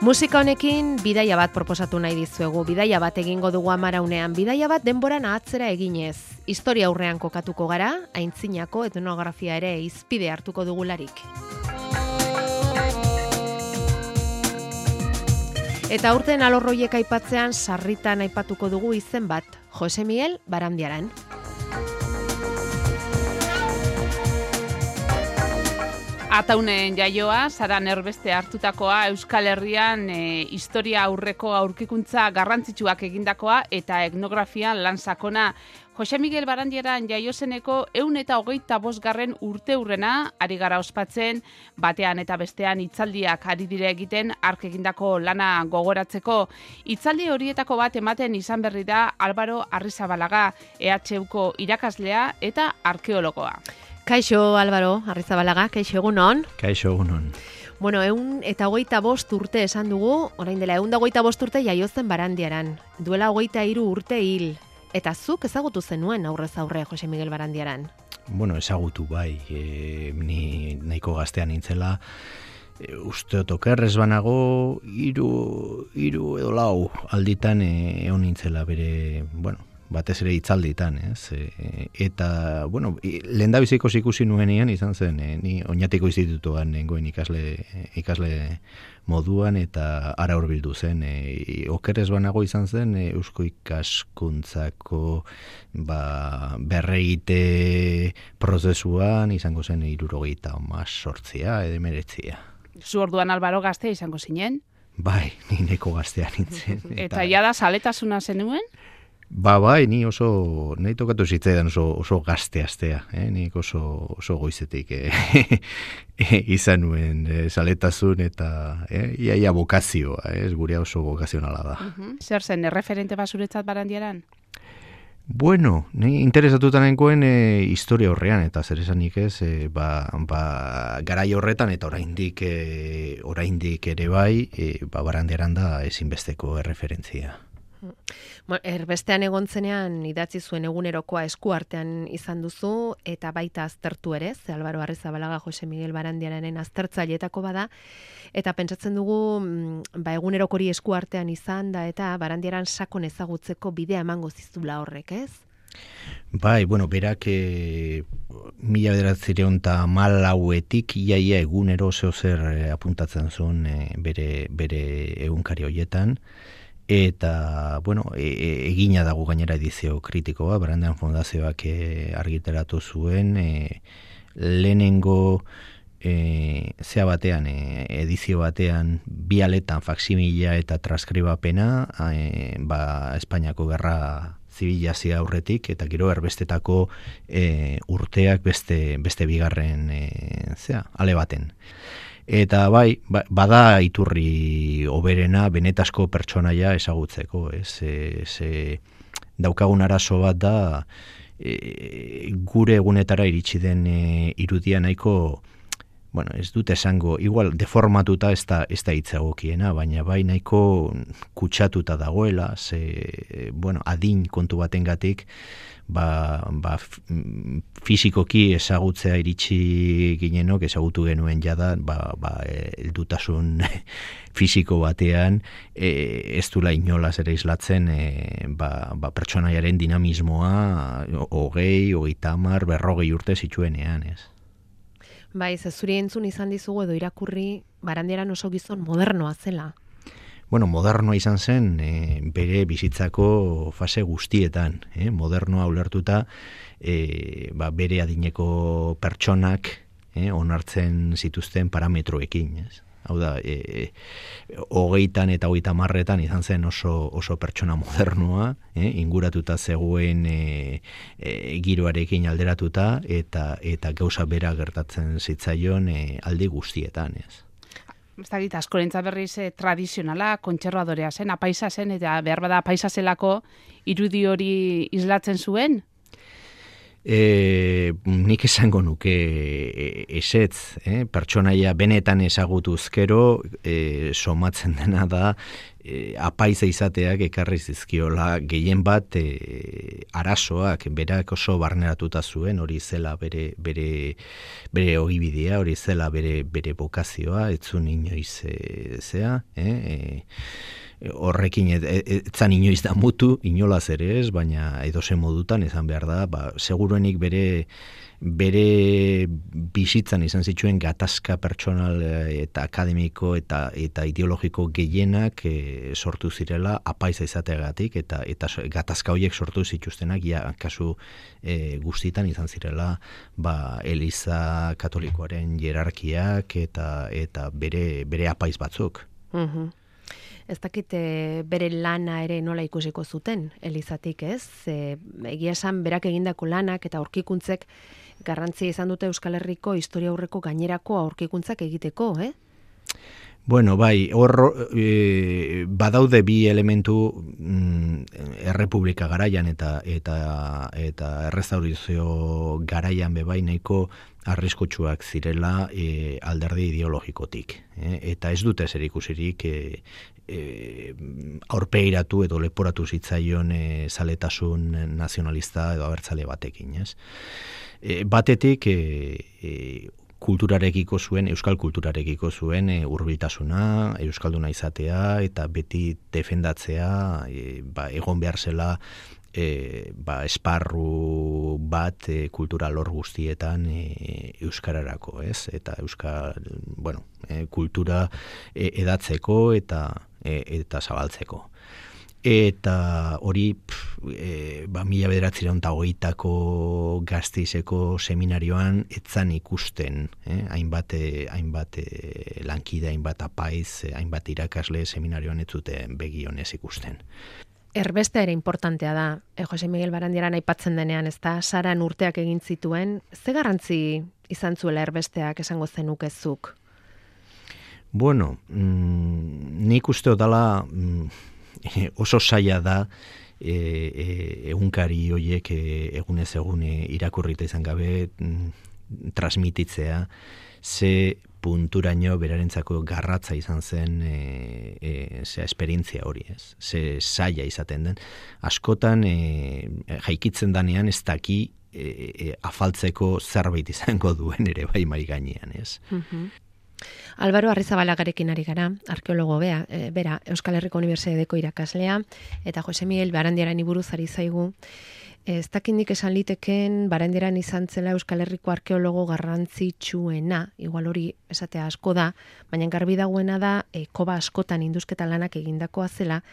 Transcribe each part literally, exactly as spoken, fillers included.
Musika honekin bidaia bat proposatu nahi dizuegu, bidaia bat egingo dugu amaraunean, bidaia bat denboran ahatzera eginez. Historia aurrean kokatuko gara, aintzinako etnografia ere hizpide hartuko dugularik. Eta aurten alorroiek aipatzean sarritan aipatuko dugu izen bat, Jose Miguel Barandiaran. Ataunen jaioa, Saran erbeste hartutakoa, Euskal Herrian e, historia aurreko aurkikuntza garrantzitsuak egindakoa eta etnografia lan sakona. Jose Miguel Barandiaran jaiozeneko ehun eta hogeita bosgarren urte hurrena ari gara ospatzen, batean eta bestean hitzaldiak ari dire egiten hark egindako lana gogoratzeko. Hitzaldi horietako bat ematen izan berri da Álvaro Arrizabalaga, E H Uko irakaslea eta arkeologoa. Kaixo, Álvaro Arrizabalaga, kaixo egunon. Kaixo egunon. Bueno, ehun eta hogeita bost urte esan dugu, orain dela ehun eta hogeita bost urte jaiozen Barandiaran. Duela hogeita hiru urte hil. Eta zuk ezagutu zenuen aurrez aurre Jose Miguel Barandiaran? Bueno, ezagutu bai, e, ni nahiko gaztean nintzela. E, uste otokerrez banago, hiru, hiru edo lau alditan egon nintzela bere, bueno, batez ere hitzalditan, ez? E, eta, bueno, lehendabiziko ikusi nuenean izan zen, e, ni Oñatiko institutuan nengoen ikasle, ikasle moduan eta ara hurbildu zen. E, okerrez banago izan zen, e, Eusko ikaskuntzako ba, berregite prozesuan izango zen hirurogeita hemezortzia edo hemeretzia. Zu orduan Álvaro gazte izango zinen? Bai, ni neko gaztea nintzen. Eta, eta jada zaletasuna zenuen? Ba, bai, ni oso, nahi tokatu zitzaidan oso, oso gazte astea, eh? Nik oso, oso goizetik eh? izan nuen eh, saletasun eta eh? iaia bokazioa, eh? Gurea oso bokazionala da. Uh-huh. Zer zen, erreferente basuretzat Barandiaran? Bueno, ni interesatuta nengoen e, historia horrean, eta zer esanik ez, e, ba, ba, garai horretan eta oraindik e, oraindik ere bai, e, ba, Barandiaran da ezinbesteko erreferentzia. Erbestean egon zenean idatzi zuen egunerokoa eskuartean izan duzu eta baita aztertu ere, ze Álvaro Arrizabalaga Jose Miguel Barandiararen aztertzaileetako bada, eta pentsatzen dugu ba, egunerokori eskuartean izan da eta Barandiaran sakon ezagutzeko bidea emango zizula horrek, ez? Bai, bueno, berak e, mila bederatzireun eta malauetik iaia egunero zeozer e, apuntatzen zuen e, bere, bere egunkari horietan. Eta, bueno, e, egina dago gainera edizio kritikoa, Barandiaran Fundazioak e, argitaratu zuen, e, lehenengo e, zea batean, e, edizio batean, bi aletan faksimila eta transkribapena, e, ba, Espainiako Gerra Zibilazia aurretik, eta gero erbestetako e, urteak beste, beste bigarren e, zea, ale baten. Eta bai, bada iturri oberena benetasko pertsonaia ezagutzeko, ez? E, ze daukagun arazo bat da e, gure egunetara iritsi den e, irudia nahiko, bueno, ez dut esango, igual deformatuta ez da, ez da hitzagokiena, baina bai nahiko kutsatuta dagoela, ze, bueno, adin kontu batengatik, ba, ba fizikoki ezagutzea iritsi ginenok, ezagutu genuen jada, ba, ba, heldutasun fisiko batean, e, ez dula inolaz ere islatzen e, ba, ba, pertsonaiaren dinamismoa hogei, hogeita hamar, berrogei urte zituenean, ez? Bai, ze zuri entzun izan dizugu edo irakurri Barandiaran oso gizon modernoa zela. Bueno, modernoa izan zen e, bere bizitzako fase guztietan, eh? Modernoa ulertuta e, ba, bere adineko pertsonak eh, onartzen zituzten parametroekin, ez? Hau da, e, hogeitan eta hogeita marretan izan zen oso, oso pertsona modernoa, eh? Inguratuta zegoen e, e, giroarekin alderatuta eta, eta gauza bera gertatzen zitzaion e, aldi guztietan, ez? Ez dakit, askorentzat berriz eh, tradizionala, kontserbadorea zen, apaisa zen, eta behar bada apaisa zelako irudi hori islatzen zuen? E, nik esango nuke esetz, eh? Pertsonaia benetan ezagutuzkero e, somatzen dena da e, apaiza izateak ekarri zizkiola gehien bat e, arazoak, berak oso barneratuta zuen, hori zela bere bere bere ogibidea, hori zela bere bere bokazioa, etzun inoiz e, zea, eh? E, horrekin etzan inoiz da mutu, inolaz ere ez, baina edozen modutan izan behar da, ba, seguruenik bere bere bizitzan izan zituen gatazka pertsonal eta akademiko eta eta ideologiko gehienak e, sortu zirela apaiza izateagatik eta eta gatazka horiek sortu zituztenak ja kasu e, guztitan izan zirela ba Eliza Katolikoaren hierarkiak eta eta bere bere apaiz batzuk. Mhm. Ez dakit bere lana ere nola ikusiko zuten, Elizatik, ez? E, egia esan berak egindako lanak eta aurkikuntzek garrantzia izan dute Euskal Herriko historia aurreko gainerako aurkikuntzak egiteko, eh? Bueno, bai, hor e, badaude bi elementu mm, errepublika garaian eta eta eta errestaurazio garaian bebai nahiko arriskutsuak zirela e, alderdi ideologikotik. E, eta ez dute zer ikusirik e, e, aurpeiratu edo leporatu zitzaion e, zaletasun nazionalista edo abertzale batekin, ez? E, batetik e, e, kulturarekiko zuen, euskal kulturarekiko zuen e, hurbiltasuna, euskalduna izatea eta beti defendatzea e, ba, egon behar zela e, ba, esparru bat e, kultural hor guztietan e, euskararako, ez? Eta euskal, bueno, e, kultura e, edatzeko eta e, eta zabaltzeko. Eta hori pff, e, ba, mila bederatziehun eta hogeitako Gasteizeko seminarioan etzan ikusten, eh? hainbat, hainbat lankide, hainbat apaiz, hainbat irakasle seminarioan ez zuten begionez ikusten. Erbestea ere importantea da, e, Jose Miguel Barandiaran aipatzen denean, ez da, Saran urteak egin zituen, ze garrantzi izan zuela erbesteak esango zenukezuk? Bueno, mm, nik uste dela mm, oso zaila da e, e, egunkari hoiek e, egunez egune irakurrita izan gabe mm, transmititzea ze punturaino berarentzako garratza izan zen e, e, zea esperientzia hori, ez? Ze zaila izaten den. Askotan e, jaikitzen danean ez daki e, e, afaltzeko zerbait izango duen ere bai mai gainean, ez? Mhm. Álvaro Arrizabalagarekin ari gara, arkeologo bea, e, bera, Euskal Herriko Unibertsitateko irakaslea, eta Jose Miguel Barandiaran buruz ari zaigu. Ez dakindik esan liteken Barandiaran izan zela Euskal Herriko arkeologo garrantzitsuena, igual hori esatea asko da, baina garbi dagoena da e, koba askotan induzketa lanak egindakoa zela,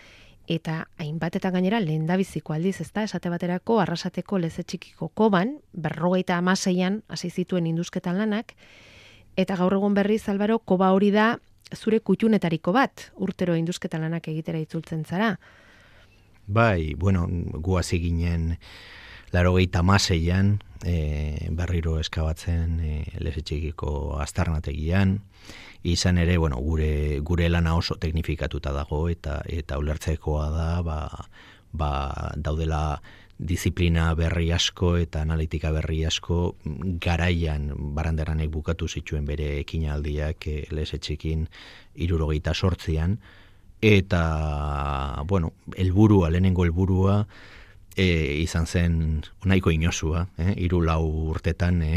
eta hainbat eta gainera lehendabiziko aldiz, ezta, esate baterako Arrasateko Leze Txikiko koban, berrogeita hamaseian hasi zituen induzketa lanak, eta gaur egun berriz, Álvaro, koba hori da zure kutxunetariko bat, urtero induzketa lanak egitera itzultzen zara. Bai, bueno, guazi ginen laurogeita hamaseian e, berriro eskabatzen e, Leze Txikiko aztarnategian, izan ere, bueno, gure gure lana oso teknifikatuta dago eta eta ulertzekoa da, ba, ba daudela disiplina berri asko eta analitika berri asko garaian Baranderanek bukatu zituen bere ekinaldiak e, Leze Txikin hirurogeita zortzian eta, bueno, helburua, lehenengo helburua e, izan zen nahiko inosua, eh? Hiru lau urtetan e,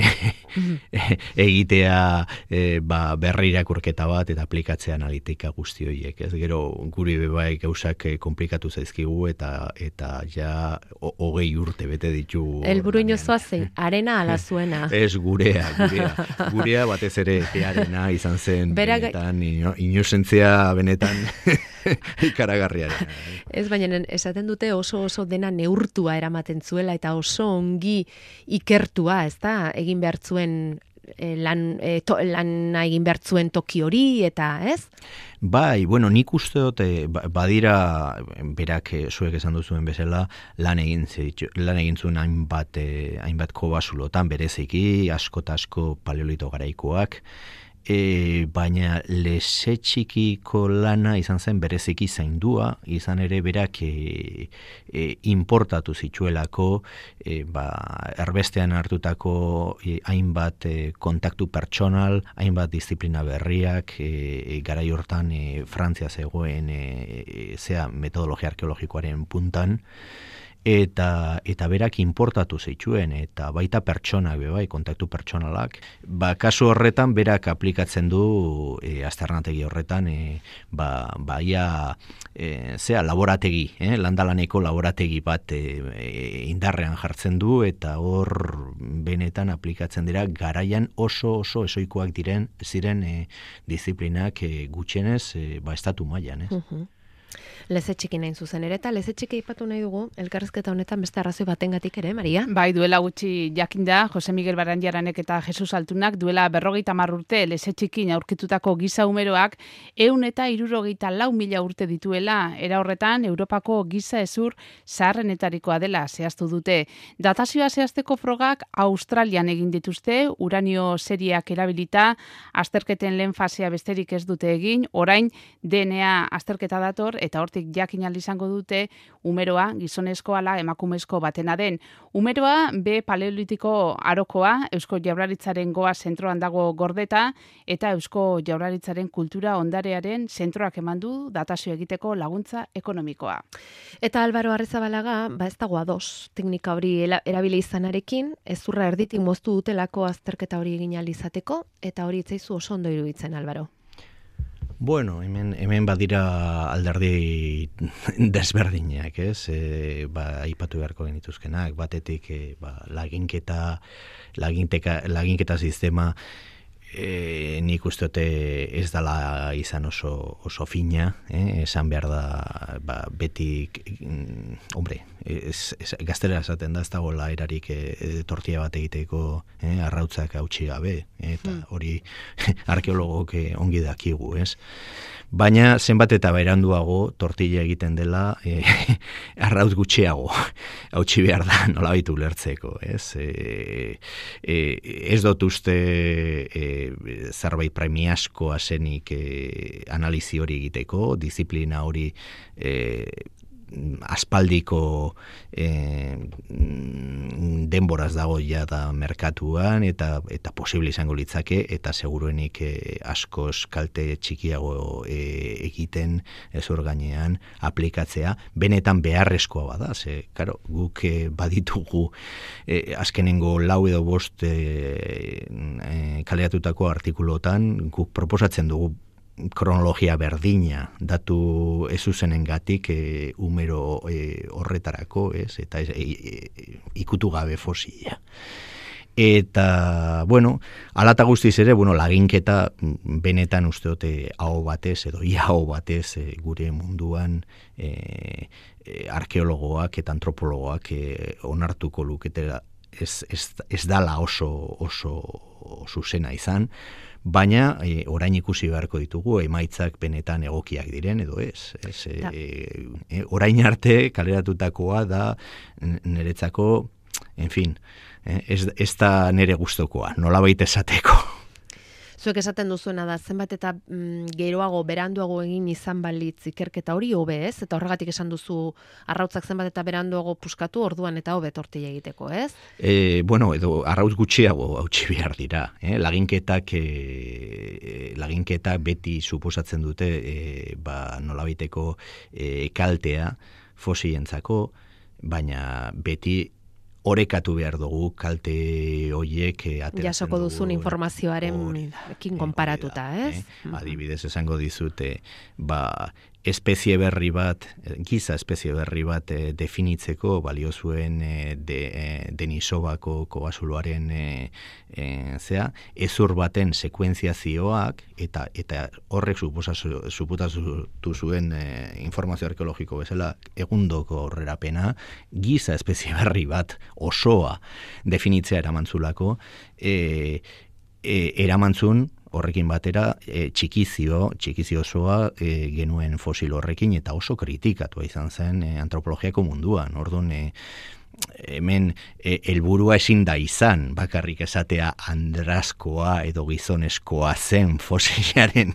egitea e, ba, berri irakurketa bat eta aplikatzea analitika guzti horiek. Ez gero guri bebai gauzak komplikatu zaizkigu eta eta ja hogei urte bete ditu. Helburu inozoa zein, arena ala zuena. Ez gurea, gurea. Gurea batez ere arena izan zen Bera, benetan, ino, inozentzia benetan ikaragarriaren. Ez, baina esaten dute oso oso dena neurtua eramaten zuela eta oso ongi ikertua, ez da, egin behar zuen e, lan, e, to, lan egin behar zuen toki hori eta, ez? Bai, bueno, nik uste dut badira berak zuek esan duzuen bezala lan egin zitu, lan egin zuen hainbat, eh, hainbat kobasulotan bereziki, asko eta asko paleolito garaikoak, E, baina leze txikiko lana izan zen bereziki zaindua, izan ere berak e, e, importatu zituelako, e, ba, erbestean hartutako e, hainbat e, kontaktu pertsonal, hainbat disiplina berriak, e, e, garai hortan e, Frantzia zegoen e, e, zea metodologia arkeologikoaren puntan, eta eta berak importatu zituen, eta baita pertsonak be bai, kontaktu pertsonalak. Ba, kasu horretan berak aplikatzen du e, aztarnategi horretan e, ba baia e, zea laborategi, eh, landalaneko laborategi bat e, e, indarrean jartzen du, eta hor benetan aplikatzen dira garaian oso oso esoikoak diren ziren e, disiplinak e, gutxienez e, ba estatu mailan, ez? Uh-huh. Leze txiki nain zuzen ere, eta leze txiki aipatu nahi dugu, elkarrezketa honetan beste arrazoi batengatik ere, Maria? Bai, duela gutxi jakinda, Jose Miguel Barandiaranek eta Jesus Altunak duela berrogeita hamar urte leze txikin aurkitutako giza umeroak ehun eta hirurogeita lau mila urte dituela, era horretan Europako giza ezur zaharrenetarikoa dela zehaztu dute. Datazioa zehazteko frogak Australian egin dituzte, uranio serieak erabilita, azterketen lehen fasea besterik ez dute egin, orain D N A azterketa dator, eta hortik jakin ahal izango dute umeroa gizonezko ala emakumezko batena den. Umeroa be paleolitiko arokoa, Eusko Jaurlaritzaren Goa zentroan dago gordeta, eta Eusko Jaurlaritzaren kultura ondarearen zentroak eman du datazio egiteko laguntza ekonomikoa. Eta Álvaro Arrizabalaga, ba ez dago ados teknika hori erabili izanarekin, ezurra erditik moztu dutelako azterketa hori egin ahal izateko, eta hori itzaizu oso ondo iruditzen, Álvaro. Bueno, hemen, hemen badira alderdi desberdinak, ez? E, ba, aipatu beharko genituzkenak, batetik e, ba, laginketa, laginteka, laginketa sistema e, nik usteote ez dala izan oso, oso fina, eh? Esan behar da, ba, beti, mm, hombre, ez, ez, gaztelera esaten da, ez dagoela erarik e, tortilla bat egiteko eh? Arrautzak hautsi gabe, eta hori arkeologok ongi dakigu, ez? Baina zenbat eta beranduago tortilla egiten dela e, arrautz gutxiago hautsi behar da nolabait ulertzeko, ez? E, e, ez dut uste e, zerbait premiazkoa zenik e, analizi hori egiteko, disiplina hori e, aspaldiko eh, denboraz dago ja da merkatuan, eta eta posible izango litzake, eta seguruenik eh, askoz kalte txikiago eh, egiten ezur gainean aplikatzea, benetan beharrezkoa bada, ze, karo, guk eh, baditugu eh, azkenengo lau edo bost eh, eh, kaleratutako artikulotan, guk proposatzen dugu kronologia berdina datu ezuzenengatik e, umero e, horretarako, ez? Eta e, e, ikutu gabe fosila. Eta, bueno, alata guztiz ere, bueno, laginketa benetan usteote aho batez, edo ia aho batez e, gure munduan e, e, arkeologoak eta antropologoak e, onartuko luketela ez, ez, ez dala oso, oso zuzena izan, baina e, orain ikusi beharko ditugu emaitzak benetan egokiak diren edo ez. ez e, e, orain arte kaleratutakoa da niretzako, en fin, e, ez, ez da nire gustokoa, nolabait esateko. Zuek esaten duzuena da, zenbat eta mm, geroago, beranduago egin izan balitz ikerketa hori hobe, ez? Eta horregatik esan duzu arrautzak zenbat eta beranduago puskatu, orduan eta hobe tortilla egiteko, ez? E, bueno, edo arrautz gutxiago hautsi behar dira. Eh? Laginketak, e, laginketak beti suposatzen dute e, ba, nolabaiteko e, kaltea fosilentzako, baina beti orekatu behar dugu kalte hoiek ateratzen jasoko duzun informazioaren ekin konparatuta, ez? Eh? Adibidez esango dizute, ba, espezie berri bat, giza espezie berri bat e, definitzeko balio zuen e, de, e, Denisobako kobazuloaren e, e, zea, ezur baten sekuentziazioak eta eta horrek suputatu zuen e, informazio arkeologiko bezala egundoko aurrerapena, giza espezie berri bat osoa definitzea eramantzulako, e, e, eramantzun horrekin batera e, txikizio, txikizio osoa e, genuen fosil horrekin, eta oso kritikatua izan zen e, antropologiako munduan. Orduan, e, hemen helburua e, ezin da izan, bakarrik esatea andrazkoa edo gizoneskoa zen fosilaren,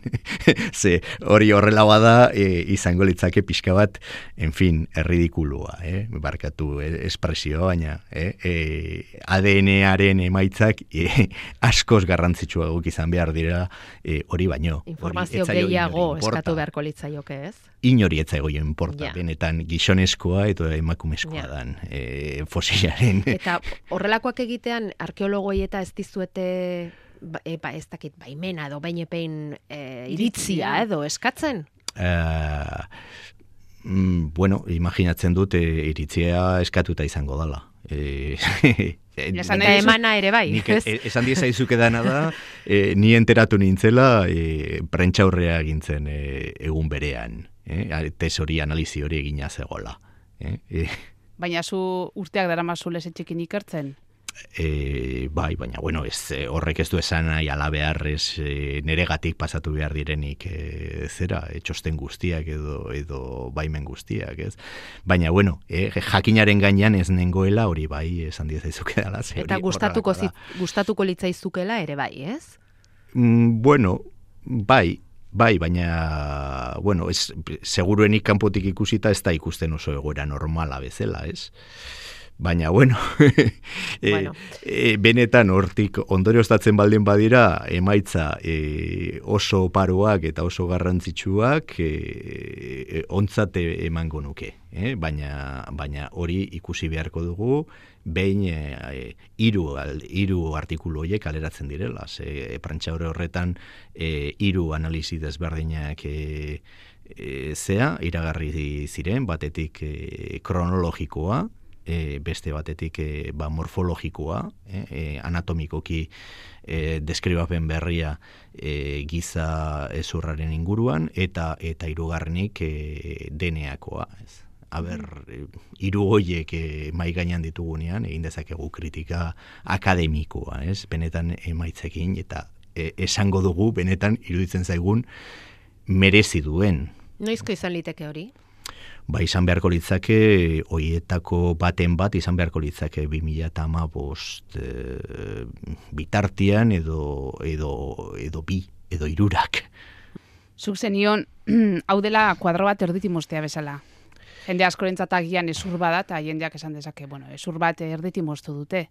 ze hori horrela bada e, izango litzake pixka bat, en fin, erridikulua, eh? barkatu espresioa, baina eh? e, A D N-aren emaitzak e, askoz garrantzitsuagok izan behar dira e, hori baino. Informazio gehiago eskatu beharko litzaioke, ez? Inori etzaigo jo importa, ja. benetan gizoneskoa edo emakumezkoa ja. dan e, fosilaren. Eta horrelakoak egitean arkeologoi eta ez dizuete e, ba, ez dakit baimena edo bainepein e, iritzia edo eskatzen? Uh, mm, bueno, imaginatzen dut e, iritzia eskatuta izango dala. E, Eta emana ere bai. Nik, e, esan diezaizuke dana da, e, ni enteratu nintzela e, prentxaurrea egintzen e, egun berean. Eh, tesori analizi hori egina zegoela. Eh? Eh. Baina zu urteak daramazu lesetxekin ikertzen? E, bai, baina bueno, ez, horrek ez du esan nahi ala beharrez e, neregatik pasatu behar direnik e, zera, e, txosten guztiak edo, edo baimen guztiak, ez? Baina bueno, e, jakinaren gainean ez nengoela hori bai esan diezaizuke dela. Eta gustatuko, zit, gustatuko litzaizukela ere bai, ez? Mm, bueno, bai, Bai, baina, bueno, ez, seguruenik kanpotik ikusita ez da ikusten oso egoera normala bezala, ez? Baina, bueno, bueno. E, e, benetan hortik ondorioztatzen baldin badira, emaitza e, oso oparoak eta oso garrantzitsuak e, e, ontzate emango nuke. Eh? Baina, baina hori ikusi beharko dugu, behin e, hiru hiru artikulu horiek aleratzen direla. Ze prentxaurre horretan e, hiru analizi desberdinak e, e, zea, iragarri ziren, batetik e, kronologikoa, E, beste batetik e, ba, morfologikoa, e, e, anatomikoki e, deskribapen berria e, giza ezurraren inguruan, eta eta hirugarrenik e, D N A-koa. Ez. Aber, hiru horiek e, mai gainean ditugunean, egin dezakegu kritika akademikoa, ez? Benetan emaitzekin, eta e, esango dugu, benetan iruditzen zaigun merezi duen. Noizko izan liteke hori? Ba, izan beharko litzake, hoietako baten bat, izan beharko litzake bi mila hamabost e, bitartian edo, edo, edo bi, edo hirurak. Zuk zenion, hau dela kuadro bat erditimostea bezala. Jende askorentzat agian ezur bada, eta jendeak esan dezake, bueno, ezur bat erditimostu dute.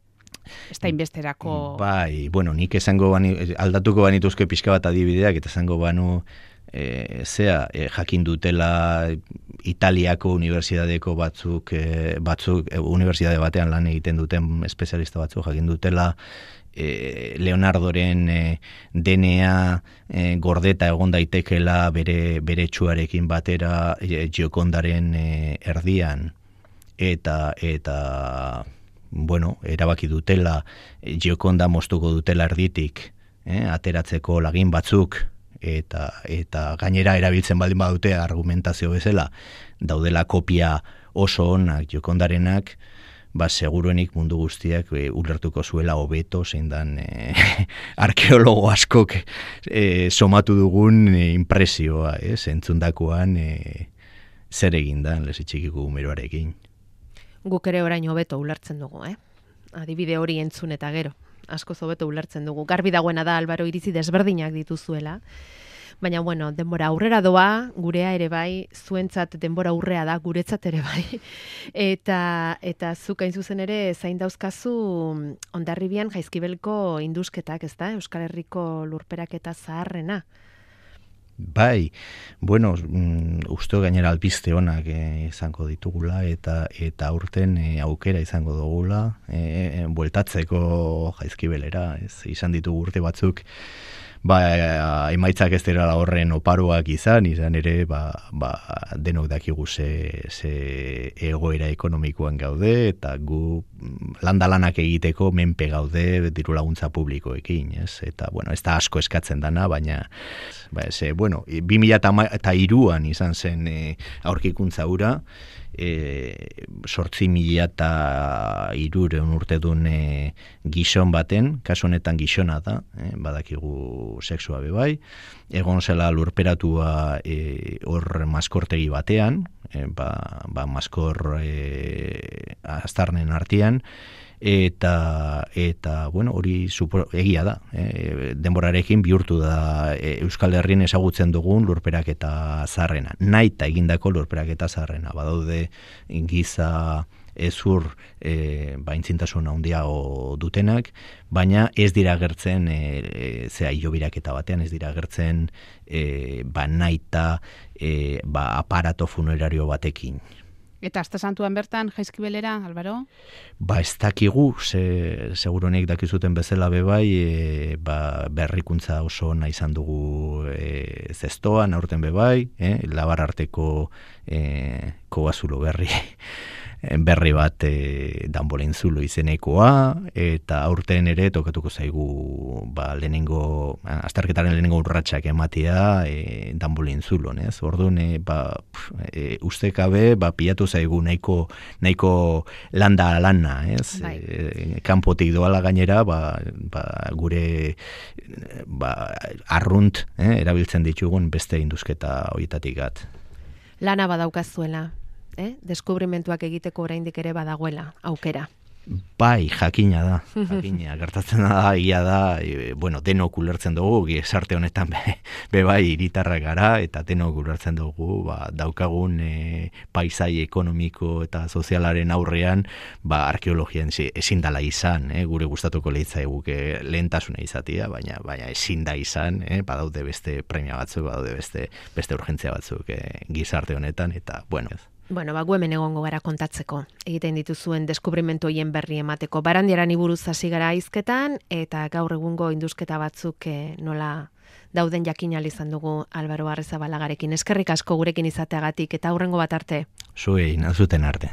Ez da inbesterako... Bai, bueno, nik esango bani, aldatuko banituzko pixka bat adibideak, eta esango banu, E, zea, e, jakin dutela Italiako unibertsitateko batzuk, e, batzuk e, unibertsitate batean lan egiten duten espezialista batzuk, jakin dutela e, Leonardoren e, D N A e, gordeta egon daitekela bere, bere txuarekin batera e, Giocondaren e, erdian, eta eta bueno, erabaki dutela e, Gioconda moztuko dutela erditik, e, ateratzeko lagin batzuk, eta eta gainera erabiltzen baldin badute argumentazio bezala daudela kopia oso onak Giocondarenak, ba seguruenik mundu guztiak e, ulertuko zuela hobeto zein dan e, arkeologo askok e, somatu dugun e, impresioa, ez, entzundakoan e, zer egin dan lesetxikiko umeroarekin. Guk ere orain hobeto ulertzen dugu, eh? Adibide hori entzun eta gero. Asko hobeto ulertzen dugu. Garbi dagoena da Albaro iritzi desberdinak dituzuela. Baina, bueno, denbora aurrera doa, gurea ere bai, zuentzat denbora aurrea da, guretzat ere bai. Eta, eta zuk hain zuzen ere zain dauzkazu Hondarribian Jaizkibelko indusketak, ez da? Euskal Herriko lurperaketa zaharrena. Bai, bueno, mm, uste gainera albiste onak eh, izango ditugula eta eta aurten eh, aukera izango dugula eh, bueltatzeko Jaizkibelera, ez izan ditugu urte batzuk, ba, emaitzak ez dira horren oparoak izan, izan ere, ba, ba, denok dakigu ze, ze egoera ekonomikoan gaude, eta gu landalanak egiteko menpe gaude diru laguntza publikoekin, ez? Eta, bueno, ez da asko eskatzen dana, baina, ba, ez, bueno, bi mila hiruan izan zen e, aurkikuntza hura, e, sortzi mila eta irureun urte duen e, gizon baten, kasu honetan gizona da, e, badakigu sexua bebai, egon zela lurperatua e, hor maskortegi batean, e, ba, ba maskor e, aztarnen artean, eta eta bueno, hori supor, egia da, e, denborarekin bihurtu da e, Euskal Herrien ezagutzen dugun lurperaketa zaharrena, naita egindako lurperaketa zaharrena. Badaude giza ezur e, ba, intzintasun handiago dutenak, baina ez dira agertzen e, e, zea hilobiraketa batean, ez dira agertzen e, ba, naita e, ba, aparato funerario batekin. Eta Aste Santuan bertan Jaizkibelera, Albaro? Ba, ez dakigu, ze, seguronek dakizuten bezala bebai, e, ba, berrikuntza oso ona izan dugu e, zestoan, aurten bebai, e, labar arteko e, kobazulo berri, berri bat e, danbolen zulo izenekoa, eta aurten ere tokatuko zaigu ba, lehenengo, azterketaren lehenengo urratsak ematea e, danbolen zulo, ez? Orduan, e, ba, e, ustekabe, ba, pilatu zaigu nahiko, nahiko landa lana, ez? Bai. E, kanpotik doala gainera, ba, ba, gure ba, arrunt eh, erabiltzen ditugun beste induzketa horietatik gat. Lana badaukazuela, eh? Deskubrimentuak egiteko oraindik ere badagoela, aukera. Bai, jakina da, jakina, gertatzen da, ia da, e, bueno, denok ulertzen dugu, gizarte honetan be, be bai hiritarrak gara, eta denok ulertzen dugu, ba, daukagun e, paisai ekonomiko eta sozialaren aurrean, ba, arkeologian ezin dala izan, eh, gure gustatuko leitza eguke lehentasuna izatea, baina, baina ezin da izan, eh, badaude beste premia batzuk, badaude beste, beste urgentzia batzuk eh, gizarte honetan, eta, bueno, Bueno, ba, gu hemen egongo gara kontatzeko. Egiten dituzuen deskubrimentu hien berri emateko. Barandiarani buruz hasi gara hizketan, eta gaur egungo induzketa batzuk eh, nola dauden jakin ahal izan dugu Albaro Arrezabalagarekin. Eskerrik asko gurekin izateagatik, eta aurrengo bat arte. Zuei, nazuten arte.